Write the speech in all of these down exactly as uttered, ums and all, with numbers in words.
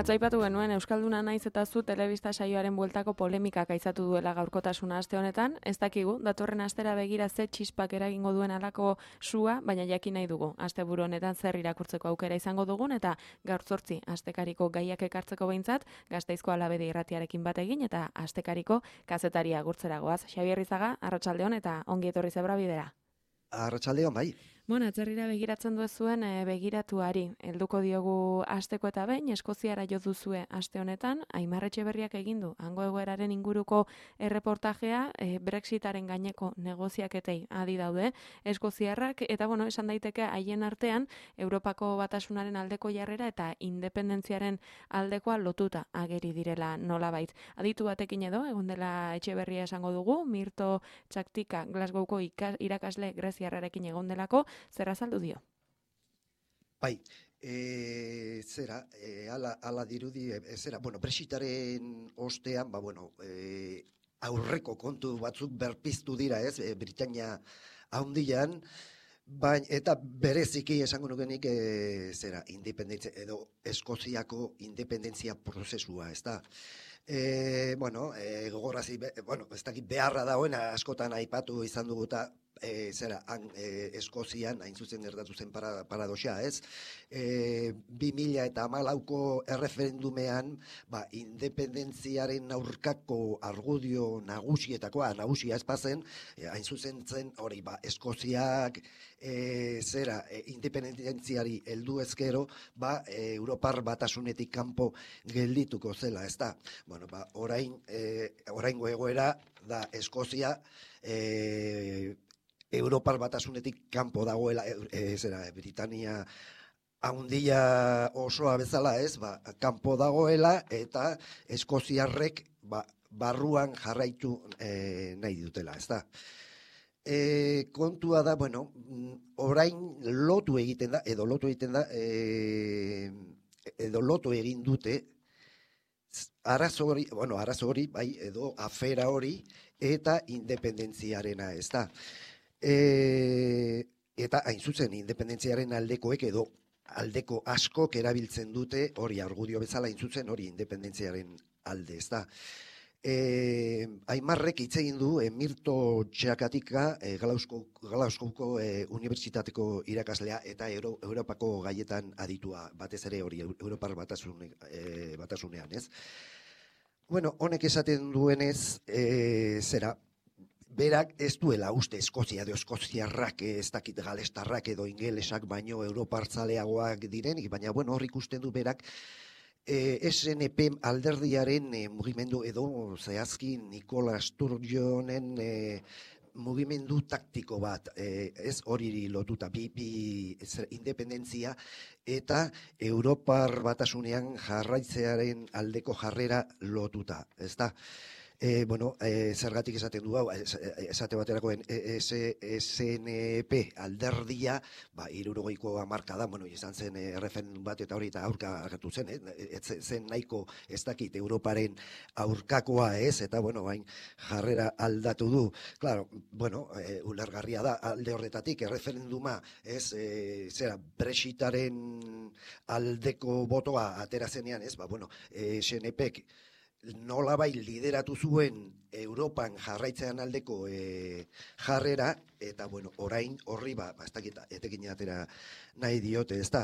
Atzaipatu genuen Euskalduna naiz eta zu telebista saioaren bueltako polemikak aizatu duela gaurkotasuna aste honetan, ez dakigu, datorren astera begira ze txispak eragingo duen alako sua, baina jakin nahi dugu. Asteburu honetan zer irakurtzeko aukera izango dugun eta gaur zortzi astekariko gaiak ekartzeko behintzat, Gasteizko Alabedi irratiarekin bat egin eta astekariko kazetaria agurtzeragoaz. Xabier Rizaga, arratsaldeon eta ongi etorri zebra bidera. Arratsaldeon bai. Bueno, atzerrira begiratzen duzuen e, begiratuari, helduko diogu asteko eta behin, Eskoziara jo duzue aste honetan, Aimar Etxeberriak egin du hango egoeraren inguruko erreportajea, e, Brexitaren gaineko negoziaketei adi daude Eskoziarrak, eta bueno, esan daiteke haien artean, Europako Batasunaren aldeko jarrera eta independentziaren aldekoa lotuta ageri direla nolabait. Aditu batekin edo, egon dela Etxeberria esango dugu, Mirto Txaktika Glasgowko irakasle greziarrarekin egon delako, zer azaldu dio? Bai, e, zera, e, ala, ala dirudi, e, zera, bueno, Brexitaren ostean, ba, bueno, e, aurreko kontu batzuk berpiztu dira, ez, e, Britania handian, baina, eta bereziki esango nukenik, e, zera, independentzia, edo Eskoziako independentzia prozesua, ez da. E, bueno, e, gogorrazi, be, bueno, ez dakit beharra dagoena askotan aipatu izan dugu eta e, zera, han, e, Eskozian, hain zuzen gertatu zen para, paradoxa, ez? E, bi mila eta hamalauko erreferendumean, ba, independentziaren aurkako argudio nagusietakoa, nagusia espazen, e, hain zuzen zen, hori, ba, Eskoziak, e, zera, e, independentziari heldu ezkero, ba, e, Europar Batasunetik kanpo geldituko zela, ez da? Bueno, ba, orain, e, oraingo egoera da Eskozia e, Europar Batasunetik kanpo dagoela, e, zera, Britania handia osoa bezala, ez, ba, kanpo dagoela eta eskoziarrek ba, barruan jarraitu e, nahi dutela, ez da. E, kontua da, bueno, orain lotu egiten da, edo lotu egiten da, e, edo lotu egin dute, arazo hori, bueno, arazo hori, bai, edo afera hori, eta independentziarena, ez da. E, eta hain zuzen, independentziaren aldekoek edo aldeko askok erabiltzen dute, hori argudio bezala hain zuzen, hori independentziaren alde, ez da. E, Aimarrek hitz egin du e, Mirto Txakatika e, Glasgowko e, Unibertsitateko irakaslea eta Euro, Europako gaietan aditua, batez ere hori Europar batasune, e, batasunean, ez? Bueno, honek esaten duenez, e, zera, berak ez duela uste Eskozia edo Eskoziarrak, ez dakit galestarrak edo ingelesak baino europartzaleagoak direnik, baina bueno, hor ikusten du berak, E, S N P alderdiaren e, mugimendu edo zehazki Nikola Sturgeonen e, mugimendu taktiko bat, e, ez hori lotuta, bi, bi ez, independentzia eta Europar Batasunean jarraitzearen aldeko jarrera lotuta, ez da? E, bueno, e, zergatik esaten du hau, esate baterakoen S N P alderdia, ba, hirurogeiko hamarka da, bueno, izan zen e, erreferendum bat eta hori eta aurka agertu zen, eh? Ez zen nahiko ez dakit Europaren aurkakoa ez, eta bueno, bain jarrera aldatu du. Claro, bueno, e, ulergarria da alde horretatik, erreferenduma, ez, e, zera, Brexitaren aldeko botoa atera zenean, ez, ba, bueno, S N Pek nolabai lideratu zuen Europan jarraitzean aldeko e, jarrera, eta bueno, orain horri, ba, ba ez dakit, etekin atera nahi diote, ez da.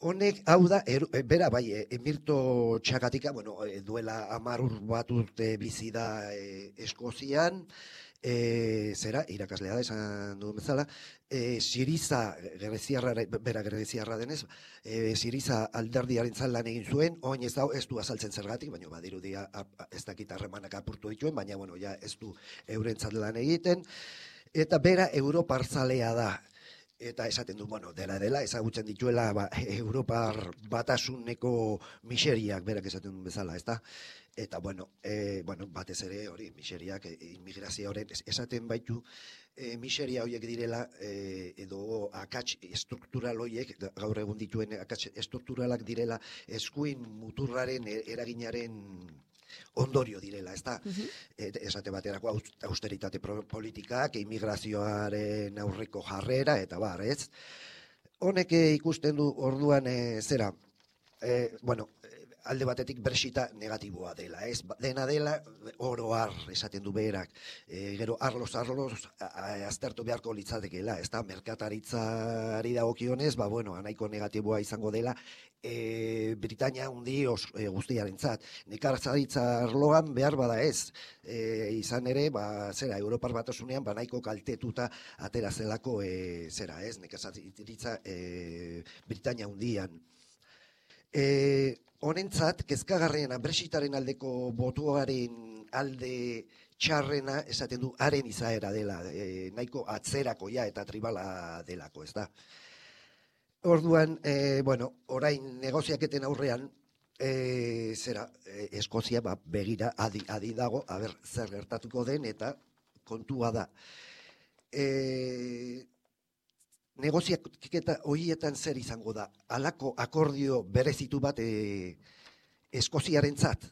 Honek, hau da, er, bera bai, e, Mirto Txakatika, bueno, e, duela hamar bat urte bizi da e, Eskozian, e, zera, irakaslea da, esan duen bezala, e, Siriza, greziarra, bera greziarra denez, e, Siriza alderdiaren lan egin zuen, oin ez da, ez du azaltzen zergatik, baina badirudia ez dakit harremanak apurtu dituen, baina bueno, ja ez du eurentzat lan egiten, eta bera europarzalea da. Eta esaten du, bueno, dela dela, ezagutzen dituela ba, Europar Batasuneko miseriak, berak esaten duen bezala, ez da? Eta, bueno, e, bueno, batez ere hori, miseriak, e, immigrazio horren, esaten baitu, e, miseria horiek direla, e, edo akats estruktural horiek, gaur egun dituen akats estrukturalak direla, eskuin muturraren eraginaren ondorio direla, ez da? Uh-huh. Esate baterako austeritate politikak, immigrazioaren aurreko jarrera, eta bar, ez? Honek ikusten du orduan e, zera, e, bueno, alde batetik Brexita negatiboa dela, ez? Dena dela, oro har, esaten du berak, e, gero arloz, arloz, aztertu beharko litzatekeela, ez da, merkataritzari dagokionez, ba, bueno, nahiko negatiboa izango dela, e, Britania hundi os, e, guztiarentzat. Nekazaritza arloan behar bada ez, e, izan ere, ba, zera, Europar Batasunean, ba, nahiko kaltetuta atera zelako, e, zera, ez, nekazaritza e, Britania hundian. E, honentzat, kezkagarriena Brexitaren aldeko botuaren alde txarrena esaten du haren izaera dela, e, nahiko atzerakoia eta tribala delako, ez da. Orduan, e, bueno, orain negoziaketen aurrean, e, zera, e, Eskozia ba, begira adi, adi dago, aber, zer gertatuko den eta kontua da. E, negoziaketa horietan zer izango da, halako akordio berezitu bat e, Eskoziarentzat.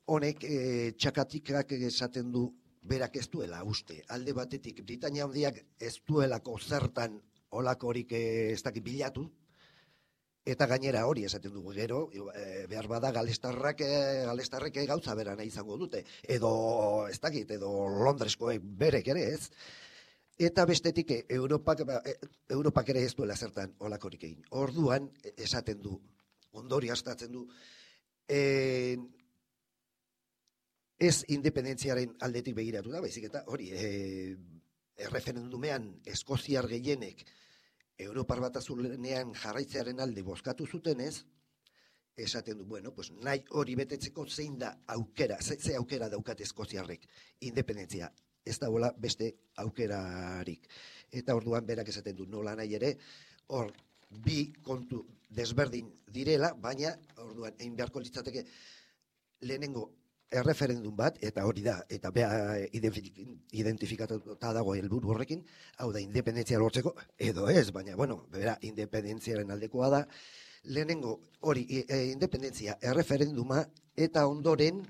Honek e, txakatikak esaten du berak ez duela uste. Alde batetik Britania handiak ez duelako zertan olakorik ez dakit bilatu, eta gainera hori esaten dugu gero, e, behar bada galestarrak, e, galestarrek gauza bera nahi izango dute, edo ez dakit, edo Londreskoek berek ere ez. Eta bestetik Europak, Europak ere ez duela zertan olakorik egin. Orduan, esaten du, ondori astatzen du, e, ez independentziaren aldetik begiratu da, baizik eta hori, e, erreferendumean eskoziar gehienek Europar Batasunean jarraitzearen alde bozkatu zutenez, esaten du, bueno, pues nahi hori betetzeko zein da aukera, ze, ze aukera daukat eskoziarrek, independentzia. Ez da bola beste aukerarik. Eta orduan berak esaten du nola nahi ere, hor bi kontu desberdin direla, baina orduan egin beharko litzateke lehenengo erreferendum bat, eta hori da, eta beha identifikatuta dago helburu horrekin, hau da, independentzia lortzeko, edo ez, baina, bueno, bera, independentziaren aldekoa da, lehenengo hori, e, independentzia erreferenduma, eta ondoren,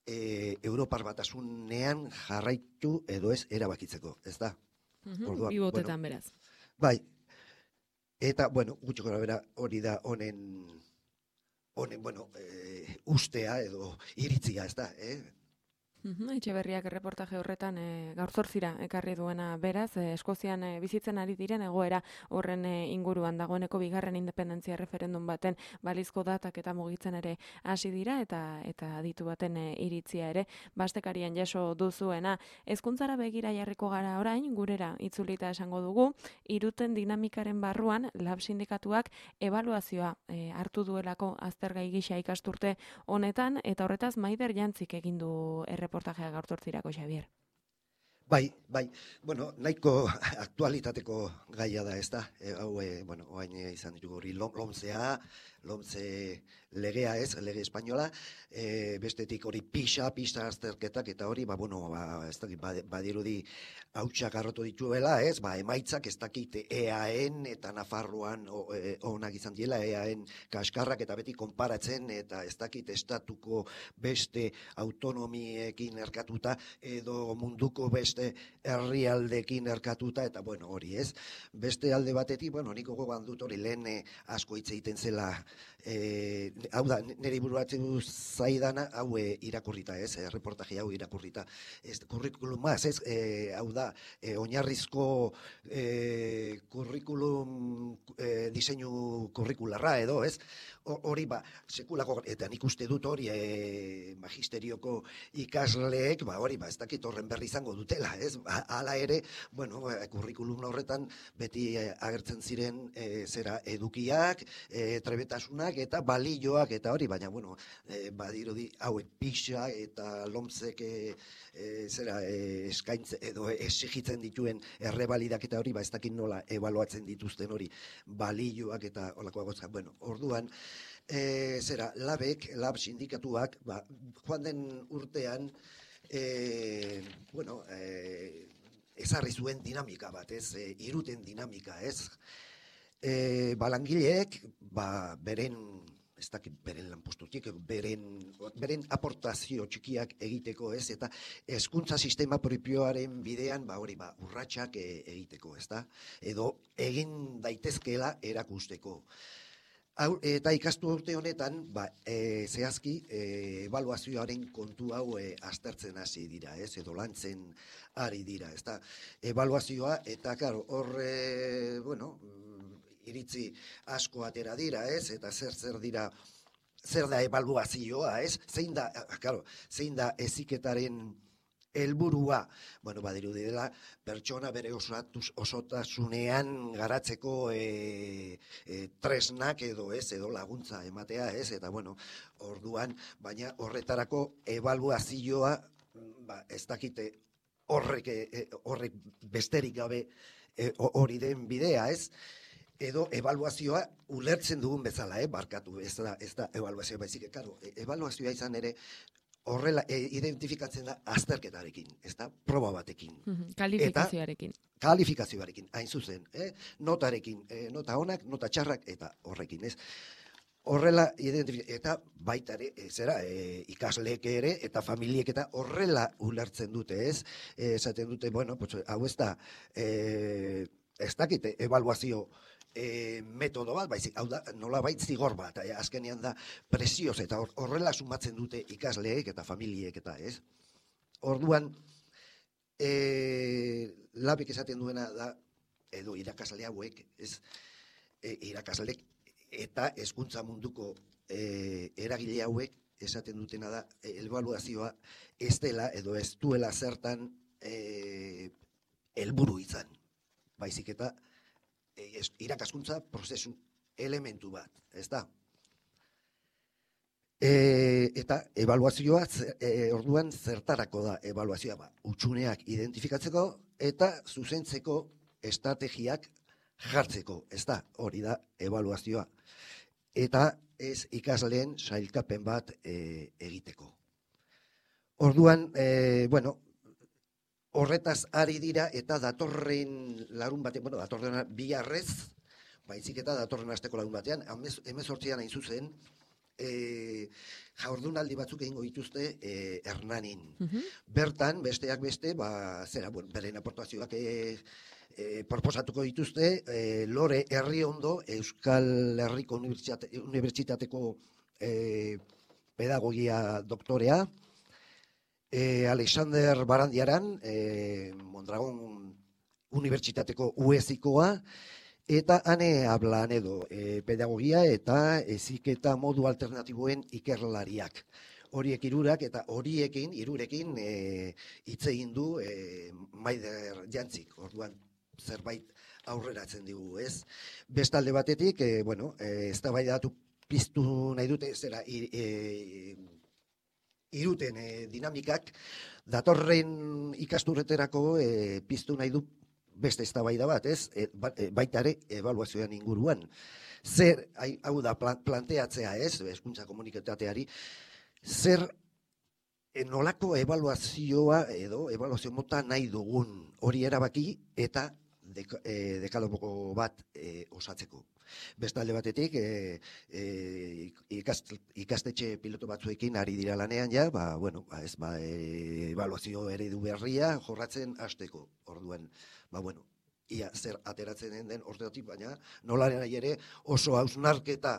E, Europar Batasunean jarraitu edo ez erabakitzeko, ez da? Orduan, bi botetan bueno, beraz. Bai, eta, bueno, gutxo gara bera hori da honen, honen, bueno, e, ustea edo iritzia, ez da, eh? Etxeberriak erreportaje horretan e, gaur zortzira ekarri duena beraz, e, Eskozian e, bizitzen ari diren egoera horren e, inguruan dagoeneko bigarren independentzia referendum baten balizko datak eta mugitzen ere hasi dira eta eta aditu baten e, iritzia ere bastekarian jaso duzuena. Hezkuntzara begira jarriko gara orain, gurera itzulita esango dugu, iruten dinamikaren barruan lab sindikatuak ebaluazioa e, hartu duelako aztergai gisa ikasturte honetan eta horretaz Maider Jantzik egin du erreportajea reportajea gaur zortzirako, Xavier. Bai, bai, bueno, nahiko aktualitateko gaia da, ez da, e, hau, e, bueno, oain izan ditugu hori lomzea, lomze legea ez, lege espainola, e, bestetik hori pixa, pixa azterketak, eta hori, ba, bueno, ba, ez dakit, badirudi hautsak arrotu dituela, ez, ba, emaitzak ez dakit eaen eta Nafarroan e, onak izan diela, eaen kaskarrak eta beti konparatzen, eta ez dakit estatuko beste autonomiekin erkatuta, edo munduko beste herrialdekin erkatuta, eta bueno, hori ez. Beste alde batetik, bueno, niko gogoan dut hori lehen asko hitz egiten zela, e, hau da, nire buruatzen zaidana, hau e, irakurrita ez, e, reportaje hau irakurrita. Ez, kurrikulumaz, ez, e, hau da, e, oinarrizko e, kurrikulum e, diseinu kurrikularra edo, ez, hori ba, sekulako, eta nik uste dut hori e, magisterioko ikasleek, ba, hori ba, ez dakit horren berri izango dutela, ez, hala ere, bueno, kurrikulum horretan beti e, agertzen ziren e, zera edukiak, e, trebetasunak eta balioak eta hori, baina, bueno, e, badirudi hauek pixa eta lomzek e, e, zera e, eskaintze edo exigitzen dituen errebalidak eta hori, ba, ez dakit nola ebaluatzen dituzten hori balioak eta holakoa gotzak, bueno, orduan, E, zera, labek, lab sindikatuak, ba, joan den urtean, e, bueno, e, ezarri zuen dinamika bat, ez, e, iruten dinamika, ez. E, ba, langileek, ba, beren, ez dakit, beren lanpostutik, beren, beren aportazio txikiak egiteko, ez, eta hezkuntza sistema propioaren bidean, ba, hori, ba, urratsak e, egiteko, ez da, edo egin daitezkeela erakusteko. Hau, eta ikastu urte honetan, ba, e, zehazki, e, ebaluazioaren kontu hau e, aztertzen hasi dira, ez, edo lantzen ari dira, ez da, ebaluazioa, eta, karo, hor, e, bueno, iritzi asko atera dira, ez, eta zer zer dira, zer da ebaluazioa, ez, zein da, karo, zein da heziketaren helburua, bueno, badirudi dela, pertsona bere osatuz, osotasunean garatzeko e, e, tresnak edo ez, edo laguntza ematea, ez, eta bueno, orduan, baina horretarako ebaluazioa, ba, ez dakite horrek, e, horrek besterik gabe hori e, den bidea, ez, edo ebaluazioa ulertzen dugun bezala, eh, barkatu, ez da, ez da ebaluazioa, baizik, karo, ebaluazioa izan ere, horrela e, identifikatzen da azterketarekin, ez da, proba batekin. Kalifikazioarekin. Eta, kalifikazioarekin, hain zuzen, eh? Notarekin, eh, nota onak, nota txarrak, eta horrekin, ez. Horrela, eta baita ere, e, zera, e, ikasleek ere, eta familiek eta horrela ulertzen dute, ez. E, esaten dute, bueno, pues, hau ez da, e, ez dakite, ebaluazio, E, metodo bat, baizik, hau da, nola bait zigor bat, e, azkenean da presioz, eta horrela sumatzen dute ikasleek eta familiek eta ez. Orduan, e, labik esaten duena da, edo irakasle hauek, ez, e, irakasleek eta hezkuntza munduko e, eragile hauek esaten dutena da, e, ebaluazioa ez dela, edo ez duela zertan e, helburu izan, baizik eta irakaskuntza prozesu elementu bat, ez da? E, eta ebaluazioa, e, orduan zertarako da ebaluazioa, ba, utxuneak identifikatzeko eta zuzentzeko estrategiak jartzeko, ez da? Hori da ebaluazioa. Eta ez ikasleen sailkapen bat e, egiteko. Orduan, e, bueno, horretaz ari dira eta datorren larun batean, bueno, datorren biharrez, baizik eta datorren asteko larun batean, hemezortzian hain zuzen, e, jaurdunaldi batzuk egingo dituzte e, Hernanin. Uh-huh. Bertan, besteak beste, ba, zera, bueno, beren aportazioak e, e, proposatuko dituzte, e, Lore Herriondo, Euskal Herriko Unibertsitate, Unibertsitateko e, pedagogia doktorea, E, Alexander Barandiaran, e, Mondragon Unibertsitateko uezikoa, eta ane hablan edo e, pedagogia eta heziketa modu alternatiboen ikerlariak. Horiek hirurak eta horiekin, hirurekin hitz e, egin du e, Maider Jantzik, orduan zerbait aurreratzen digu, ez? Bestalde batetik, e, bueno, e, eztabaidatu piztu nahi dute, zera, e, iruten e, dinamikak, datorren ikasturreterako e, piztu nahi du beste eztabaida bat, ez? E, ba, e, baita ere ebaluazioan inguruan. Zer, hau da, planteatzea, ez? Hezkuntza komunitateari, zer e, nolako ebaluazioa edo ebaluazio mota nahi dugun hori erabaki eta dek, e, dekalogoko bat e, osatzeko. Bestalde batetik, e, e, ikast, ikastetxe piloto batzuekin ari dira lanean ja, ba, bueno, ba, ez, ba, e, ebaluazio eredu berria jorratzen hasteko. Orduan, ba, bueno, ia zer ateratzen den den ordeotik, baina nolaren nahi ere oso hausnarketa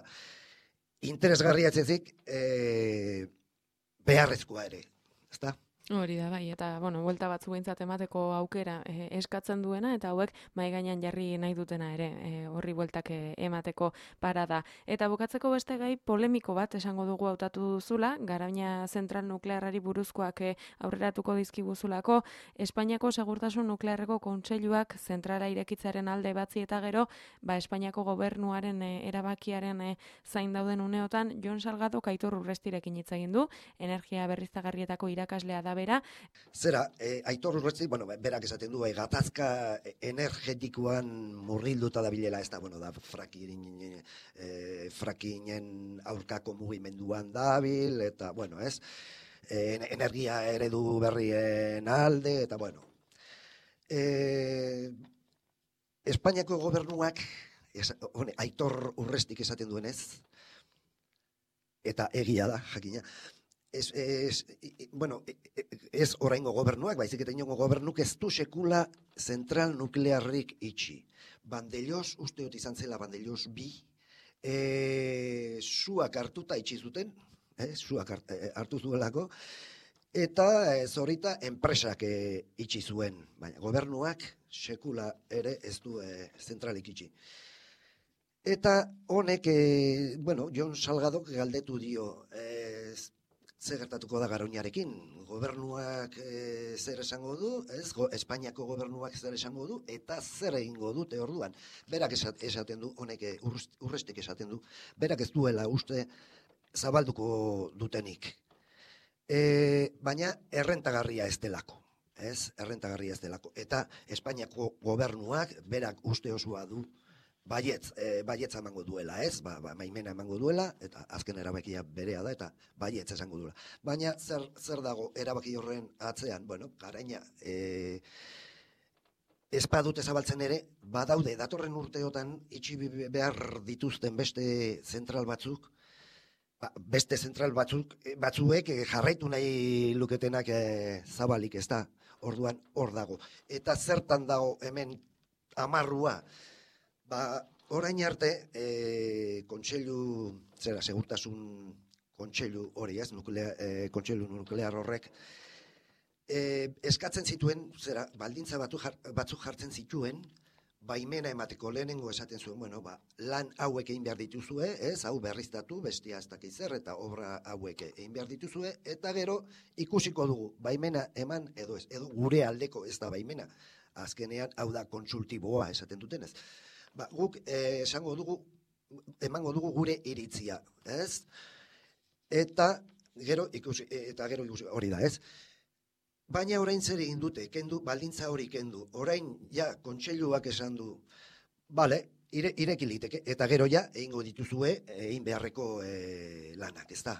interesgarria etzezik e, beharrezkoa ere, ezta? Hori da, bai, eta, bueno, buelta batzu behintzat emateko aukera e, eskatzen duena, eta hauek mai gainean jarri nahi dutena ere, e, horri bueltak e, emateko parada. Eta bukatzeko beste gai polemiko bat esango dugu hautatu duzula, Garoña zentral nuklearrari buruzkoak e, aurreratuko dizkiguzulako, Espainiako Segurtasun Nuklearreko Kontseiluak zentrala irekitzaren alde batzi eta gero, ba, Espainiako gobernuaren e, erabakiaren e, zain dauden uneotan, Jon Salgado Aitor Urrestirekin hitz egin du, energia berriztagarrietako irakaslea da bera. Zera, e, Aitor Urresti, bueno, berak esaten du, e, gatazka energetikoan murgilduta da bilela, ez da, bueno, da, frakin, e, frakinen aurkako mugimenduan dabil, eta, bueno, ez, e, energia eredu berrien alde, eta, bueno. E, Espainiako gobernuak, es, one, Aitor Urrestik esaten duenez, eta egia da, jakina, Ez, ez, bueno, ez oraingo gobernuak, baizik eta inongo gobernuk ez du sekula zentral nuklearrik itxi. Bandellos, uste dut izan zela Bandellos bi, e, suak hartuta itxi zuten, eh, suak hartu zuelako, eta e, zorita enpresak e, itxi zuen, baina gobernuak sekula ere ez du e, zentralik itxi. Eta honek, e, bueno, Jon Salgadok galdetu dio, e, ze gertatuko da Garoñarekin, gobernuak e, zer esango du, ez, Go, Espainiako gobernuak zer esango du, eta zer egingo dute orduan. Berak esaten du, honek urrestek esaten du, berak ez duela uste zabalduko dutenik. E, baina errentagarria ez delako, ez, errentagarria ez delako. Eta Espainiako gobernuak berak uste osoa du, Baietz, e, baietz emango duela, ez? Ba, ba, maimena emango duela, eta azken erabakia berea da, eta baietz esango duela. Baina zer, zer dago erabaki horren atzean? Bueno, Garaina, e, ez badute zabaltzen ere, badaude, datorren urteotan itxi behar dituzten beste zentral batzuk, ba, beste zentral batzuk, batzuek jarraitu nahi luketenak e, zabalik, ez da? Orduan hor dago. Eta zertan dago hemen amarrua, ba, orain arte, e, kontseilu, zera, segurtasun kontseilu hori, ez, nuklea, e, kontseilu nuklear horrek, e, eskatzen zituen, zera, baldintza batu jar, batzuk jartzen zituen, baimena emateko lehenengo esaten zuen, bueno, ba, lan hauek egin behar dituzue, ez, hau berriztatu, bestia ez dakiz zer, eta obra hauek egin behar dituzue, eta gero ikusiko dugu, baimena eman edo ez, edo gure aldeko ez da baimena, azkenean hau da kontsultiboa esaten dutenez. Ba, guk eh, esango dugu, emango dugu gure iritzia, ez? Eta gero ikusi, eta gero ikusi hori da, ez? Baina orain zer egin dute, kendu, baldintza hori kendu. Orain ja kontseiluak esan du, bale, ire, ireki liteke, eta gero ja egingo dituzue egin beharreko e, lanak, ez da?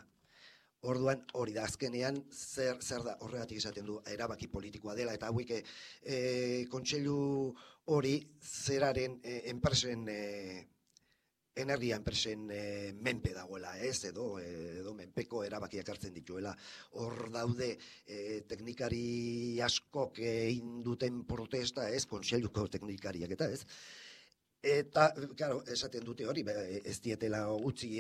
Orduan hori da azkenean zer, zer da horregatik esaten du erabaki politikoa dela, eta hauek e, kontseilu hori zeraren e, enpresen, e, energia enpresen e, menpe dagoela, ez, edo, edo menpeko erabakiak hartzen dituela. Hor daude e, teknikari askok egin duten protesta, ez, kontseiluko teknikariak eta ez. Eta, claro, esaten dute hori, ez dietela utzi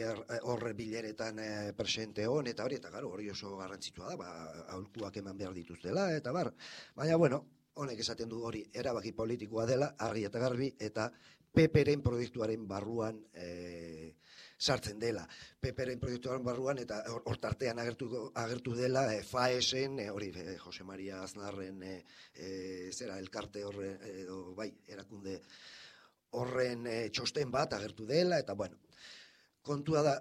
horre bileretan presente hon, eta hori, eta claro, hori oso garrantzitsua da, ba, aholkuak eman behar dituztela, eta bar. Baina, bueno, honek esaten du hori erabaki politikoa dela, argi eta garbi, eta Peperen proiektuaren barruan e, sartzen dela. Peperen proiektuaren barruan, eta hortartean agertu, agertu dela, e, Faesen, e, hori, e, Jose Maria Aznarren, e, e, zera, elkarte horre, edo, bai, erakunde, horren e, txosten bat agertu dela, eta bueno, kontua da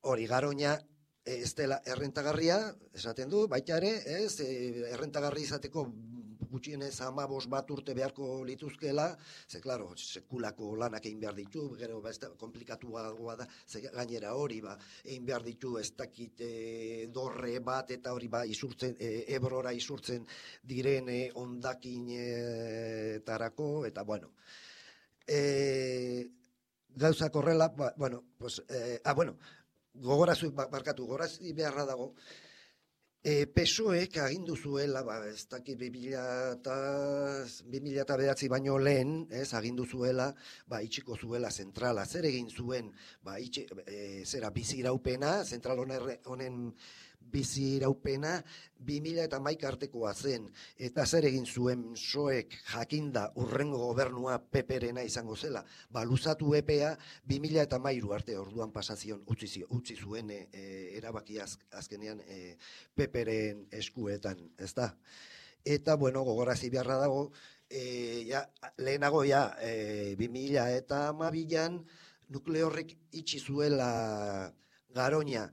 hori Garoña e, ez dela errentagarria, esaten du, baita ere, ez, e, errentagarri izateko gutxienez hamabos bat urte beharko lituzkela, ze, klaro, sekulako lanak egin behar ditu, gero, ba, ez da, komplikatuagoa da, ze gainera hori, ba, egin behar ditu, ez dakit e, dorre bat, eta hori, ba, isurtzen, e, Ebrora isurtzen diren e, ondakin e, tarako, eta bueno, E, gauzak horrela, ba, bueno, pues, e, ah, bueno, gogorazu, barkatu, gogorazi beharra dago, e, P S O Ek agindu zuela, ba, ez dakit bi mila eta bederatzi baino lehen, ez, agindu zuela, ba, itxiko zuela zentrala, zer egin zuen, ba, itxe, e, zera, bizi iraupena, zentral honen bizi iraupena, bi mila eta hamaika artekoa zen, eta zer egin zuen P S O Ek jakinda urrengo gobernua Peperena izango zela, ba, luzatu epea bi mila eta hamairu arte orduan pasazion utzi, utzi zuen e, erabaki az, azkenean e, Peperen eskuetan, ez da? Eta, bueno, gogorazi beharra dago, e, ja, lehenago ja, e, bi mila eta hamabian nukleo horrek itxi zuela Garoña.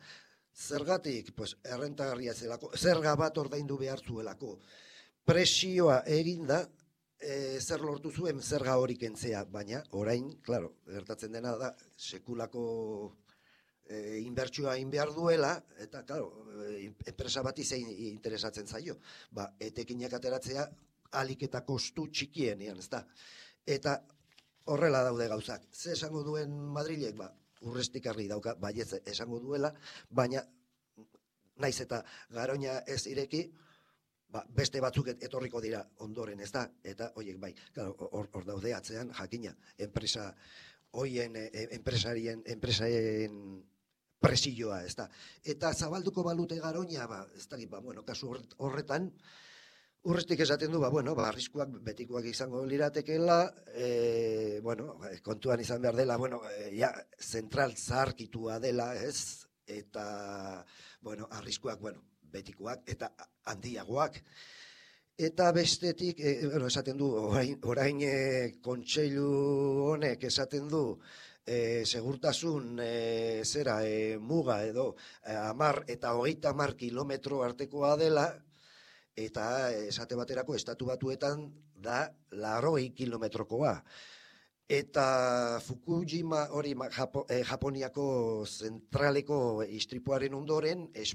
Zergatik, pues, errentagarria zelako, zerga bat ordaindu behar zuelako. Presioa eginda, e, zer lortu zuen zerga hori kentzea, baina orain, claro, gertatzen dena da, sekulako e, inbertsioa egin behar duela, eta, claro, e, enpresa bati zein interesatzen zaio. Ba, etekinak ateratzea, alik eta kostu txikienean, ez da. Eta horrela daude gauzak. Ze esango duen Madrilek, ba, urrestik argi dauka, baietz esango duela, baina naiz eta Garoña ez ireki, ba, beste batzuk etorriko dira ondoren, ez da, eta horiek bai, hor, hor daude atzean, jakina, enpresa hoien enpresarien, enpresaren presioa, ez da. Eta zabalduko balute Garoña, ba, ez da, ba, bueno, kasu horretan, urrestik esaten du, ba, bueno, ba, arriskuak betikoak izango liratekeela, e, bueno, kontuan izan behar dela, bueno, e, ja, zentral zaharkitua dela, ez? Eta, bueno, arriskuak, bueno, betikoak eta handiagoak. Eta bestetik, e, bueno, esaten du, orain, orain e, kontseilu honek esaten du, e, segurtasun e, zera e, muga edo e, amar eta hogeita amar kilometro artekoa dela, eta esate baterako estatu batuetan da laurogei kilometrokoa. Eta Fukushima hori Japo, eh, Japoniako zentraleko istripuaren ondoren, es,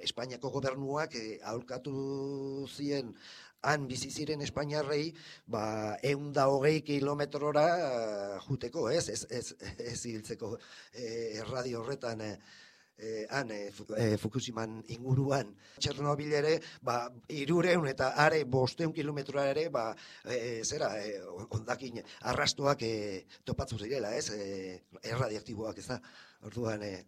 Espainiako gobernuak eh, aholkatu zien han bizi ziren espainiarrei, ba, ehun eta hogei kilometrora uh, juteko, ez, ez, ez, ez hiltzeko eh, erradio horretan, eh, Eh, han, eh, Fukushiman inguruan. Txernobil ere, ba, irureun eta are bosteun kilometroa ere, ba, eh, zera, eh, ondakin arrastoak eh, topatzu zirela, ez, eh, erradiaktiboak, ez da, orduan... Eh,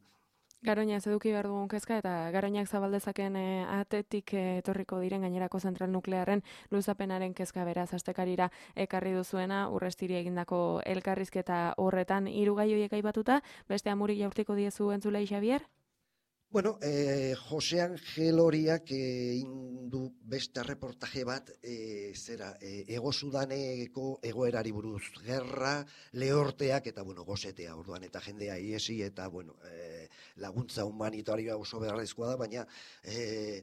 Garoña ez eduki behar dugun kezka, eta Garoñak zabaldezaken e, atetik e, etorriko diren gainerako zentral nuklearren luzapenaren kezka beraz astekarira ekarri duzuena, Urrestiri egindako elkarrizketa horretan hiru gai horiek aipatuta, beste amurik jaurtiko diezu entzulei Xabier? Bueno, eh, Jose Angel horiak eh, indu beste reportaje bat, eh, zera, eh, Ego Sudaneko egoerari buruz, gerra, lehorteak eta, bueno, gozetea, orduan, eta jendea iesi, eta, bueno, eh, laguntza humanitarioa oso beharrezkoa da, baina eh,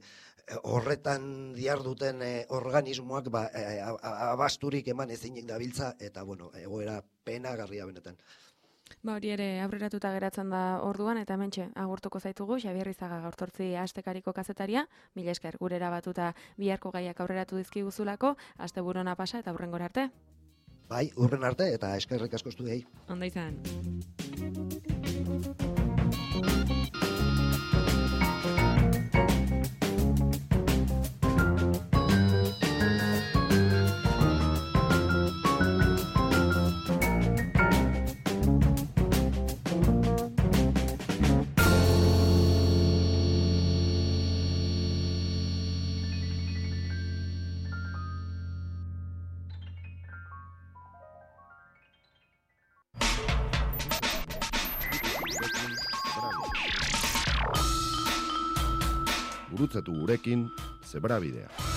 horretan diarduten eh, organismoak ba, eh, abasturik eman ezinik dabiltza, eta, bueno, egoera penagarria benetan. Ba, hori ere aurreratuta geratzen da orduan, eta hementxe agurtuko zaitugu, Xabier Izaga gaurtortzi astekariko kazetaria, mila esker gurera batuta biharko gaiak aurreratu dizkiguzulako, asteburu ona pasa eta hurrengora arte. Bai, hurren arte eta eskerrik asko zuei. Ondo izan. Gurutzatu gurekin Zebrabidea.